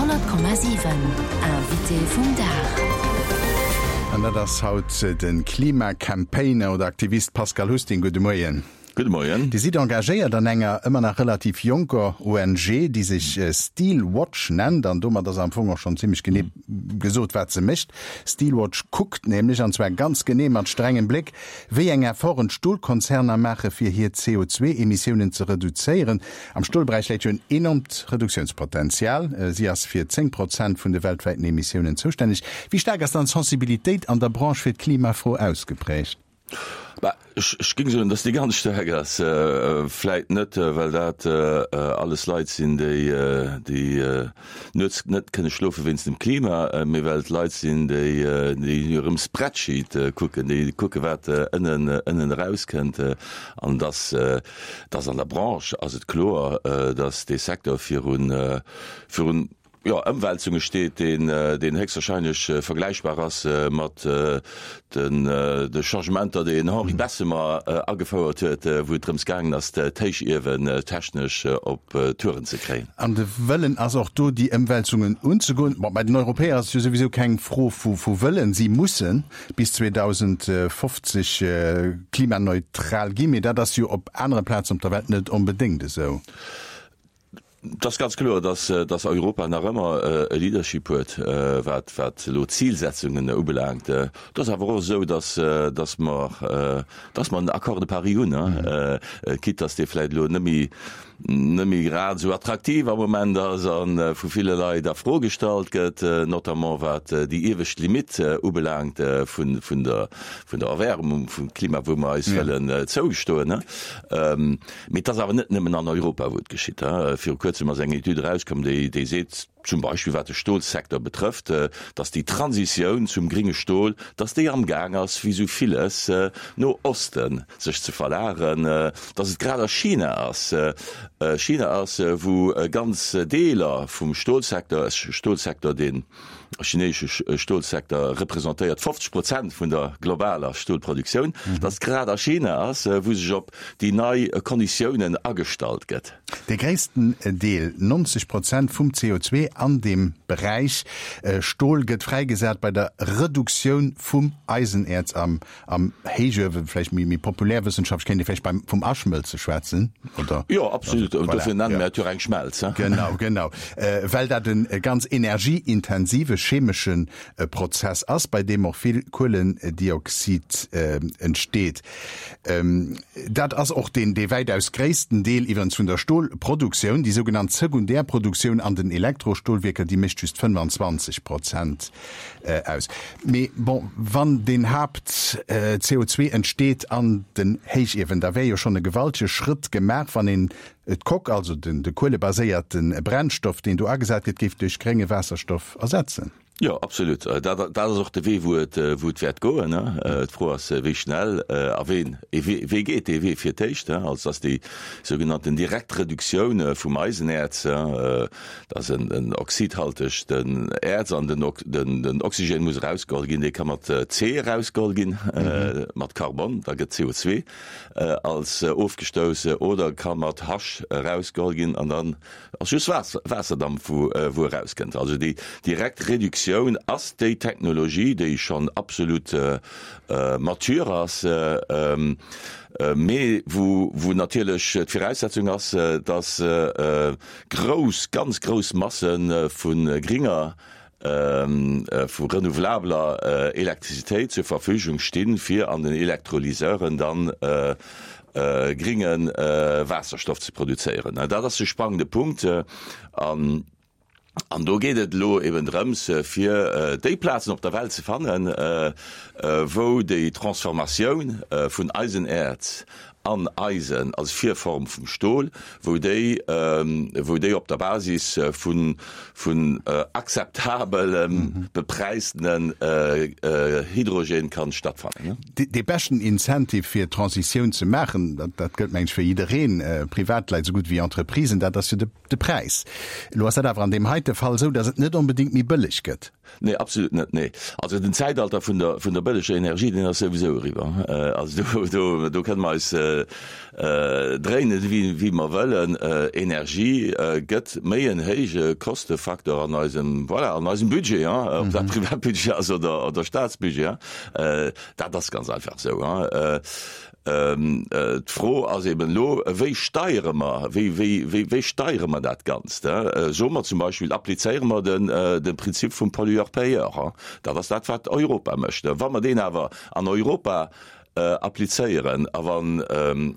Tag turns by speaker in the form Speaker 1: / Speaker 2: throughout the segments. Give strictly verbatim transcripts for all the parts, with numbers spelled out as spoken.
Speaker 1: Honnert Komma siwen, Invité vum Dag.
Speaker 2: An dat ass haut de Klima-Campaigner oder Aktivist Pascal Husting. Gudde Moien.
Speaker 3: Gudde Moien.
Speaker 2: Dir sidd engagéiert an enger ëmmer nach relativ jonker O N G, déi sech Steel Watch nennt. An domat ass am Fong och schonn zimmlech genee gesot, wat se mécht. Steel Watch kuckt nämlech, an zwar ganz genee mat strengem Bléck, wéi eng Efforten d'Stolkonzerner maache fir hir C O zwee Emissiounen ze reduzéieren. Am Stolberäich läit jo en enormt Reduktiounspotenzial. Si ass fir zéng Prozent vun de weltwäiten Emissiounen zoustänneg. Wéi staark ass dann d'Sensibilitéit an der Branche fir d'Klimafro ausgeprägt?
Speaker 3: Bah, ech, ech géing soen, dass déi ganz staark ass. Vläit net, well dat alles Leit sinn, déi, déi nuets net kënne schlofe wéinst dem Klima, mee well et Leit sinn, déi, déi hirem Spreadsheet kucken, déi kucke wat ënnen, ënnen erauskënnt. An dass, dass an der Branche ass et kloer, dass dee Secteur virun, virun jo, Ëmwälzunge steet, deen, deen héchstwahrscheinlech vergläichbar ass mat den de Changementer, déi den Henri Bessemer agefouert huet, wou et drëms gaangen ass, d'Héichiewen technesch op Touren ze kréien.
Speaker 2: An de Wëllen ass och do, déi Ëmwälzungen unzegoen. Bon, bei den Europäer ass et jo souwisou keng Fro vu vu Wëllen. Si musse bis zweedausendfofzeg klimaneutral ginn, mee dat ass jo op anere Plazen op der Welt net onbedéngt esou.
Speaker 3: Et ass ganz kloer, dass, dass Europa nach ëmmer e Leadership huet, wat, wat elo d'Zilsetzungen ubelaangt. Et ass awer och esou, dass, dass mer, dass mer en Accord de Paris hunn, quitte dass dee vläicht elo net méi, net méi grad esou attraktiv am Moment ass a vu ville Leit a Fro gestallt gëtt, notamment wat déi iewescht Limitt ubelaangt vun, vun der, vun der Erwärmung vum Klima, wou mer eis wëllen zougestoen. Mee et ass awer net nëmmen an Europa, wou et geschitt. Viru kuerzem ass eng Etüd erauskomm, déi, déi seet, zum Beispill wat de Stolsecteur betrëfft, dass déi Transitioun zum gringe Stol, dass déi amgaang ass, wéi esou villes, no Oste sech ze verlageren, dass et grad a China ass, China ass, wou ganz Deeler vum Stolsecteur, Stolsecteur, dee chineesche Stolsecteur representéiert fofzeg Prozent vun der globaler Stolproduktioun, dass et grad a China ass, wou sech op déi nei Konditiounen agestallt gëtt.
Speaker 2: De gréissten Deel, neunzeg Prozent vum C O zwee an deem Beräich Stol gëtt fräigesat bei der Reduktioun vum Eisenäerz am am Héichuewen. Vläicht méi méi populärwëssenschaftlech kéint ee vläicht beim vum Aschmëlze schwätzen,
Speaker 3: oder? Jo, absolut.
Speaker 2: Also,
Speaker 3: voilà,
Speaker 2: dofir
Speaker 3: nenne mir et jo eng Schmelz.
Speaker 2: Genau, genau. Well dat e ganz energieintensive chemesche Prozess ass, bei deem och vill Kuelendioxid entsteet. Dat ass och deen dee wäitaus gréissten Deel iwwerens vun der Stolproduktioun. Déi sougenannt Sekundärproduktioun an den Elektrostolwierker, déi mécht just fënnfanzwanzeg Prozent aus. Mee bon, wann deen Haapt C O zwee entsteet an den Héichiewen, da wär jo schonn e gewaltege Schrëtt gemaach, wann een d'Coque, also den de kuelebaséierte Brennstoff, deen do agesat gëtt, géif duerch grénge Waasserstoff ersetzen.
Speaker 3: Jo, absolut. Dat, dat ass och de Wee, wou et, wou et wäert goen. D'Fro ass, wéi schnell a ween, wee geet dee Wee fir d'éischt. Also ass déi sougenannten direkt Reduktioun vum Eisenäerz, dat ass en, en oxidhaltegt Äerz an den, den, den Oxygen muss erausgeholl ginn, dee ka mat C erausgeholl ginn, mat Karbon, da gëtt C O zwee als ofgestouss, oder ka mat H erausgeholl ginn an dann ass just Waasser, Waasserdamp, wou, wou erauskënnt. Also déi direkt Reduktioun ass déi Technologie, déi schonn absolut mature ass, mee wou, wou natierlech d'Viraussetzung ass, dass grouss, ganz grouss Masse vu gringer, vu renouvelabler Elektrizitéit zur Verfügung stinn, fir an den Elektrolyseuren dann gringe Waasserstoff ze produzéieren. Dat ass de spannende Punkt. An An do geet et elo eben drëms, fir déi Plazen op der Welt ze fannen, wou déi Transformatioun vun Eisenäerz an Eisen als Virform vum Stol, wou déi, wou déi op der Basis vun, vun akzeptabelem bepräistenen Hydrogen kann stattfannen.
Speaker 2: Dee beschten Incentive fir d'Transitioun ze maachen, dat, dat gëllt meng ech fir jiddereen, Privatleit esou gutt wéi Entreprisen, dat ass jo de, de Präis. Elo ass dat awer an deem heite Fall esou, datt et net onbedéngt méi bëlleg gëtt.
Speaker 3: Nee, absolut net, nee. Also den Zäitalter vun der, vun der bëlleger Energie, deen ass souwisou eriwwer. Also do, do, do kënne mer eis dréinen, wéi mer wëllen, Energie gëtt méi en héije Kostefaktor an eisem, voilà, an eisem Budget, ob dat Privatbudget ass oder Staatsbudget. Dat ass ganz einfach esou. D'Fro ass eben elo, Wéi steiere mer, wéi, wéi, wéi steiere mer dat Ganzt? Soe mer zum Beispill, applizéiere mer den, de Prinzip vum Pollueur-payeur? Dat ass dat, wat Europa mécht. Wa mer deen awer an Europa applizéieren a wa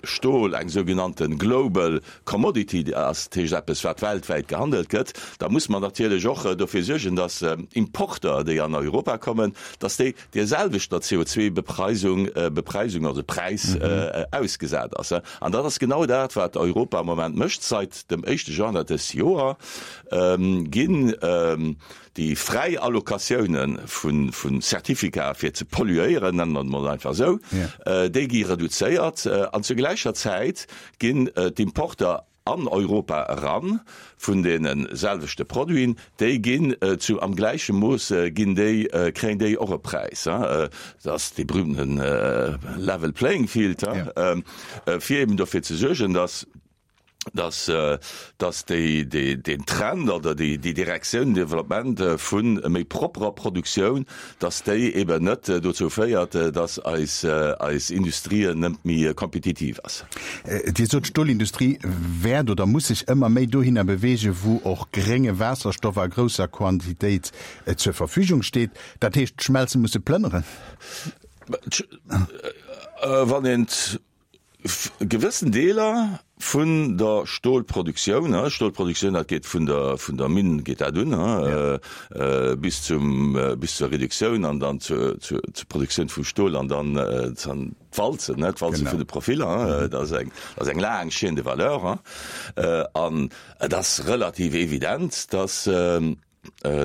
Speaker 3: Stol eng sougenannte global commodity ass, dat heescht eppes, wat weltwäit gehandelt gëtt, da muss mer natierlech och dofir suergen, datt Importer, déi an Europa kommen, datt déi där selwechter C O zwei Bepreisung, Bepreisung, also Präis, ausgesat ass. An dat ass genau dat, wat Europa am Moment mécht. Seit dem éischte Januar dës Joer ginn déi fräi Allocatioune vu Certificaten fir ze polluéieren, nennen mer et mol einfach esou, déi gi reduzéiert an zur gläicher Zäit ginn d'Importer an Europa eran vun deene selwechte Produiten, déi ginn zu am gläiche Mooss ginn déi, kréien déi och e Präis. Dat ass dee berühmten level playing field, fir eben dofir ze suergen, dass dass dass déi déi deen Trend oder déi déi Direktioun, Developpement vu méi propperer Produktioun, dass déi eben net dozou féiert, dass eis eis Industrie net méi kompetitiv ass.
Speaker 2: Dir sot, d'Stolindustrie wäert oder muss sech ëmmer méi dohinner beweegen, wou och grénge Waasserstoff a grousser Quantitéit zur Verfügung steet. Dat heescht, d'Schmelze musse plënneren?
Speaker 3: Wann een gewëssen Deeler vun der Stolproduktioun, Stolproduktioun, dat geet vun der, vun der Minn geet dat un, bis zum, bis zur Reduktioun an dann zur, zur, zur Produktioun vum Stol an dann d'Walzen, d'Walze vun de Profiller, dat ass eng, dat ass eng laang Chaîne de valeur. An et ass relativ evident, dass,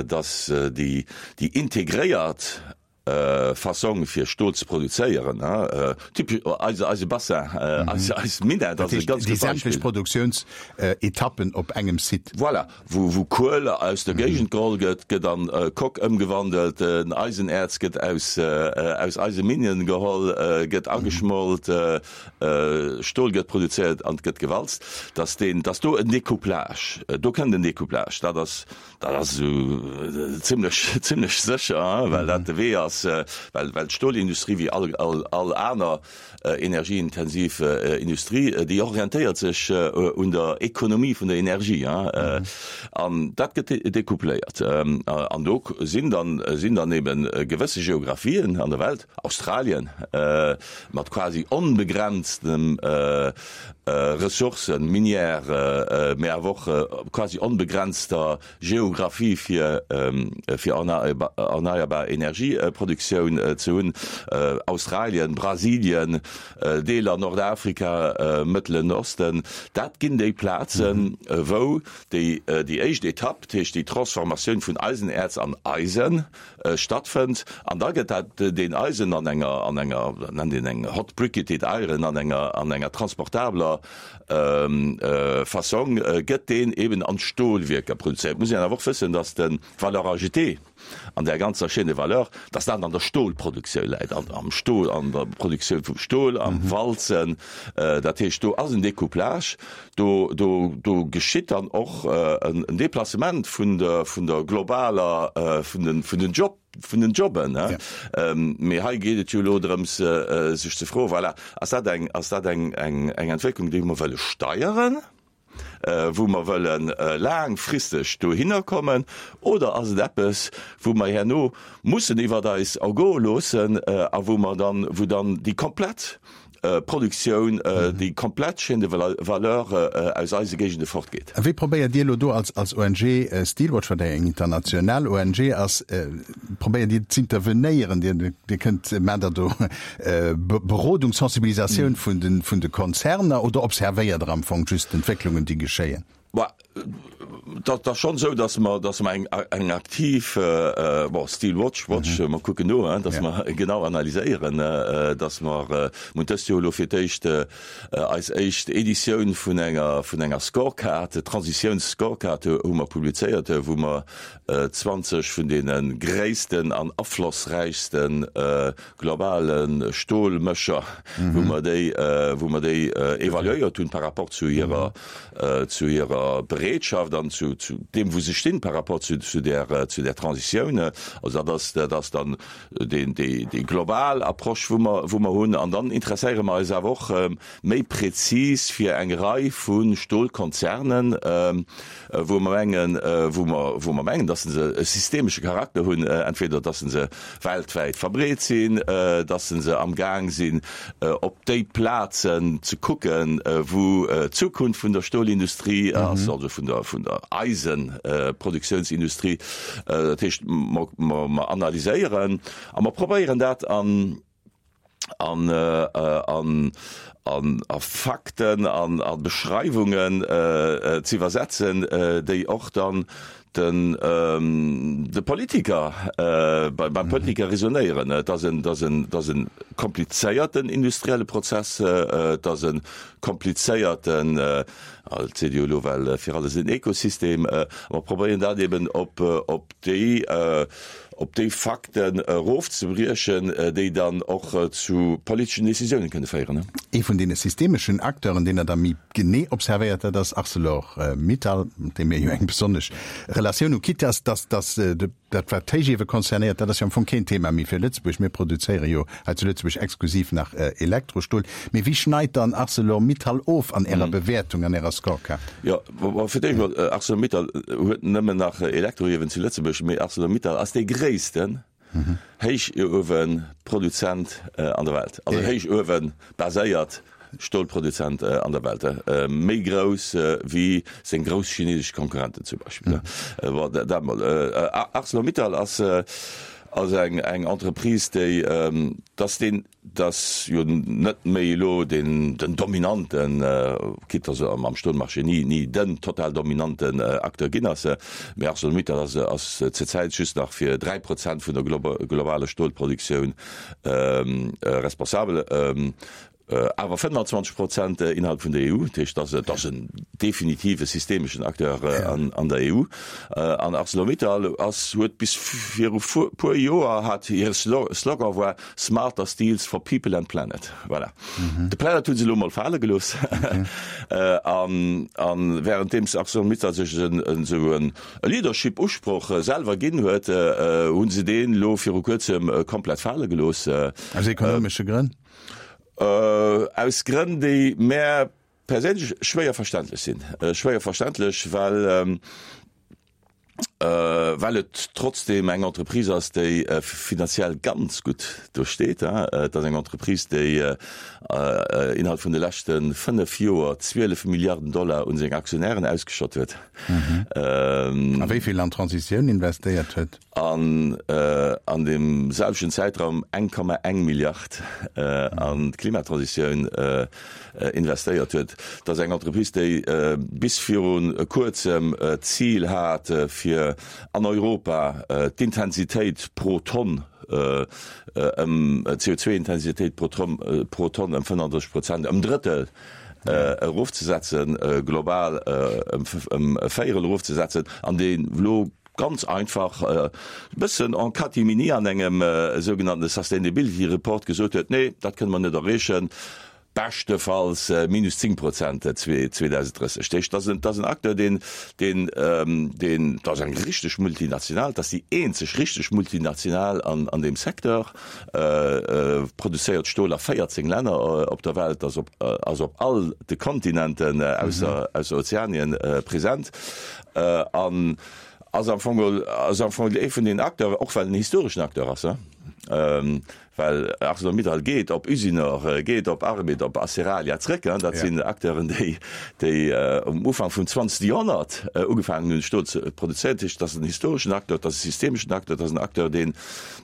Speaker 3: dass déi, déi integréiert Fassong fir Stol ze produzéieren, typesch eise eise Bassin, eis eis Minett ass e ganz
Speaker 2: gutt Beispill. Déi sämtlech Produktiounsetappen op engem Site.
Speaker 3: Voilà, wou wou Kuel aus der Géigend geholl gëtt, gëtt an Coque ëmgewandelt, den Eisenäerz gëtt aus aus Eiseminen geholl, gëtt ageschmolt, Stol gëtt produzéiert an gëtt gewalzt, dass deen, dass do en Découplage, do kënnt en Découplage, dat ass Dat ass esou zimlech, zimlech sécher, well dat de Wee ass, well, well d'Stolindustrie wéi all, all, all aner energieintensiv Industrie, déi orientéiert sech un der Ekonomie vun der Energie. An dat gëtt decoupléiert. An do sinn dann, sinn dann eben gewësse Geographien an der Welt, Australien mat quasi onbegrenztem Ressourcen, minières, mä awer och quasi onbegrenzter Geographie fir fir erneierbar Energieproduktioun ze hunn, Australien, Brasilien, Deeler Nordafrika, Mëttelen Osten, dat ginn déi Plazen, wou déi déi éischt Etapp, dat heescht déi Transformatioun vun Eisenäerz an Eisen, stattfënnt. An da gëtt dat deen Eisen an enger an enger, dat nennt een eng hot briquetted iron, an enger an enger transportabler Fassong gëtt deen eben an d'Stolwierker produzéiert. Et muss een awer och wëssen, datt de Valeur ajoutée an där ganzer Chaîne de valeur, datt dat an der Stolproduktioun läit, an am Stol, an der Produktioun vum Stol, am Walzen. Dat heescht, do ass en Découplage, do, do, do geschitt dann och en Déplacement vun der, vun der globaler, vun den, vun den Job, vun den Jobben. Mee hei geet et jo elo drëms, sech ze froen, voilà, ass dat eng, ass dat eng, eng, eng Entwécklung, déi mer wëlle steieren, wou mer wëlle laangfristeg dohinner kommen, oder ass et eppes, wou mer herno mussen iwwert eis ergoe loossen a wou mer dann, wou dann déi komplett Produktioun, déi komplett Chaîne de valeur aus eise Géigende fortgeet.
Speaker 2: A wéi probéiert Dir elo do als als O N G Steelwatch, wat eng international O N G ass, probéiert Dir z'intervenéieren? Dir Dir kënnt, maacht Der do Berodung, Sensibilisatioun vun de vun de Konzerner oder observéiert Der am Fong just d'Entwécklungen, déi geschéien?
Speaker 3: Bah, Dat ass schonn esou, datt mer, datt mer eng, eng aktiv, bon, Steel Watch, Watch, mer kucken no, hein, datt mer genau analyséieren, datt mer, mer hunn dëst Joer elo fir d'éischt eis éischt Editioun vun enger, vun enger Scorecard, Transitiounsscorecard hu mer publizéiert, wou mer zwanzeg vun deene gréissten an aflossräichste globale Stolmécher, wou mer déi, wou mer déi evaluéiert hunn par rapport zu hirer, zu hirer Bereetschaft an zu, zu deem, wou se stinn par rapport zu, zu där, zu där Transitioun. Also dat ass, dat ass dann deen, déi, déi global Approche, wou mer, wou mer hunn. An dann interesséiere mer eis awer och méi prezis fir eng Rei vu Stolkonzernen, wou mer mengen, wou mer, wou mer mengen, dass se e systemesche Charakter hunn, entweder dass se weltwäit verbreet sinn, dass se amgaang sinn, op déi Plazen ze kucken, wou d'Zukunft vun der Stolindustrie ass, also vun der, vun der Eisenproduktiounsindustrie. Dat heescht, mer, mer, mer analyséieren a mer probéieren dat an, an, an, an a Fakten an a Beschreiwungen ze iwwersetzen, déi och dann den de Politiker, beim Politiker resonéieren. Et ass en, et ass en, et ass e komplizéierten industrielle Prozess, et ass e komplizéierten, et seet jo elo well fir alles en Ekosystem, mer probéieren dat eben op, op déi, op déi Fakten erofzebriechen, déi dann och zu politeschen Decisiounen kënne féieren.
Speaker 2: Ee vun deene systemeschen Acteuren, deen Der da méi genee observéiert, dat ass Arcelor Mittal, mat deem mir jo eng besonnesch Relatioun hu, quitte dass, dass, dass dat wat d'Héichiewe concernéiert, dat ass jo am Fong keen Thema méi fir Lëtzebuerg. Mir produzéiere jo hei zu Lëtzebuerg exklusiv nach Elektrostol. Mee wéi schneit dann Arcelor Mittal of an Ärer Bewäertung, an Ärer Scorecard?
Speaker 3: Jo, fir d'éischt mol, Arcelor Mittal huet nëmmen nach Elektroiewen zu Lëtzebuerg, mee Arcelor Mittal ass dee gréissten Héichuewenproduzent an der Welt, also héichuewenbaséiert Stolproduzent an der Welt, méi grouss wéi seng grouss chinesesch Konkurrenten zum Beispill. Bon, dat mol. Arcelor Mittal ass ass eng eng Entreprise, déi, dass deen, dass jo net méi elo deen den dominanten, quitte dass e am Stolmarché ni ni den total dominanten Acteur ginn ass, mee Arcelor Mittal ass ass zur Zäit just nach fir dräi Prozent vun der globaler Stolproduktioun responsabel. Awer fënnfanzwanzeg Prozent innerhalb vun der E U, dat heescht, et ass en definitive systemeschen Acteur an der E U. An Arcelor-Mittal ass, huet bis viru puer Joer hat hire Slogan war Smarter Steels for People and Planet. Voilà. De Planet hu se elo mol fale gelooss. An währenddeems Arcelor-Mittal sech esou e Leadership-Usproch selwer ginn huet, hu se deen elo viru kuerzem komplett fale gelooss.
Speaker 2: Aus ekonomesche Grënn?
Speaker 3: Aus Grënn, déi mär perséinlech schwéier verständlech sinn. Schwéier verständlech, well, well et trotzdeem eng Entreprise ass, déi finanziell ganz gutt do steet. Et ass eng Entreprise, déi innerhalb vun de leschte fënnef Joer zwielef Milliarden Dollar un seng Aktionären ausgeschott huet.
Speaker 2: A wéi vill an d'Transitioun investéiert huet.
Speaker 3: An an deem selwechten Zäitraum eng Komma eng Milliard an d'Klimatransitioun investéiert huet. Dat ass eng Entreprise, déi bis viru Kuerzem d'Zil hat, fir an Europa d'Intensitéit pro Tonn ëm, d'C O zwei Intensitéit pro Tonn, pro Tonn ëm fënnenddrësseg Prozent, ëm Drëttel erofzesetzen, global ëm e Véierel erofzesetzen, an déi elo ganz einfach e bëssen en catimini an engem sougenannte Sustainability Report gesot huet, Nee, dat kënne mer net erreechen, beschtefalls minus zéng Prozent zweedausenddrësseg. Dat heescht, dat ass en Acteur, deen, deen, deen, dat ass eng richteg Multinational, dat ass déi eenzeg richteg Multinational an, an deem Secteur, produzéiert Stol a véierzéng Länner op der Welt, ass op, ass op all de Kontinenten ausser, ausser Ozeanien present an ass am Fong, ass am Fong ee vun den Acteuren, och well en historeschen Acteur ass, Well ArcelorMittal geet op Usinor, geet op Arbed, op Aceralia zréck. Dat sinn Acteuren, déi, déi um Ufank vum zwanzegste Joerhonnert ugefaangen hunn, Stol ze produzéieren. Dat heescht, dat ass en historeschen Acteur, dat ass e systemeschen Acteur, dat ass en Acteur, deen,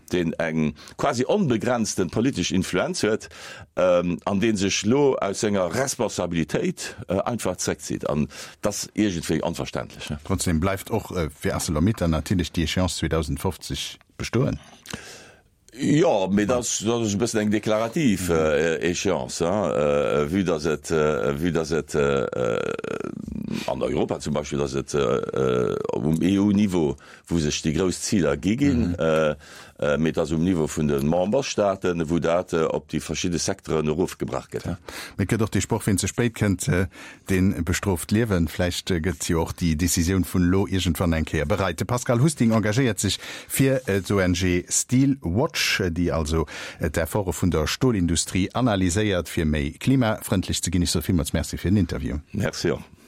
Speaker 3: deen eng quasi onbegrenzte politesch Influenz huet an dee sech elo aus senger Responsabilitéit einfach zréckzitt. An dat ass iergendwéi onverständlech.
Speaker 2: Trotzdem bleift och fir ArcelorMittal natierlech déi Échéance zweedausendfofzeg bestoen.
Speaker 3: Jo, mee dat ass e bëssen eng deklarativ Échéance, vue dass et, vue dass et an Europa zum Beispill, dass et um E U-Niveau, wou sech déi grouss Ziler gi ginn, mee et ass um Niveau vun de Memberstaaten, wou dat op déi verschidde Secteuren erofgebrach gëtt.
Speaker 2: Mee et gëtt och dee Sproch, Wien ze spéit kënnt, dee bestrooft d'Liewen. Vläicht gëtt jo och déi Decisioun vun elo iergendwann eng Kéier bereit. De Pascal Husting engagéiert sech fir d'O N G Steel Watch, déi also d'Efforte vun der Stolindustrie analyséiert, fir méi klimafrëndlech ze ginn. Ech soe villmools Merci fir den Interview.
Speaker 3: Merci och.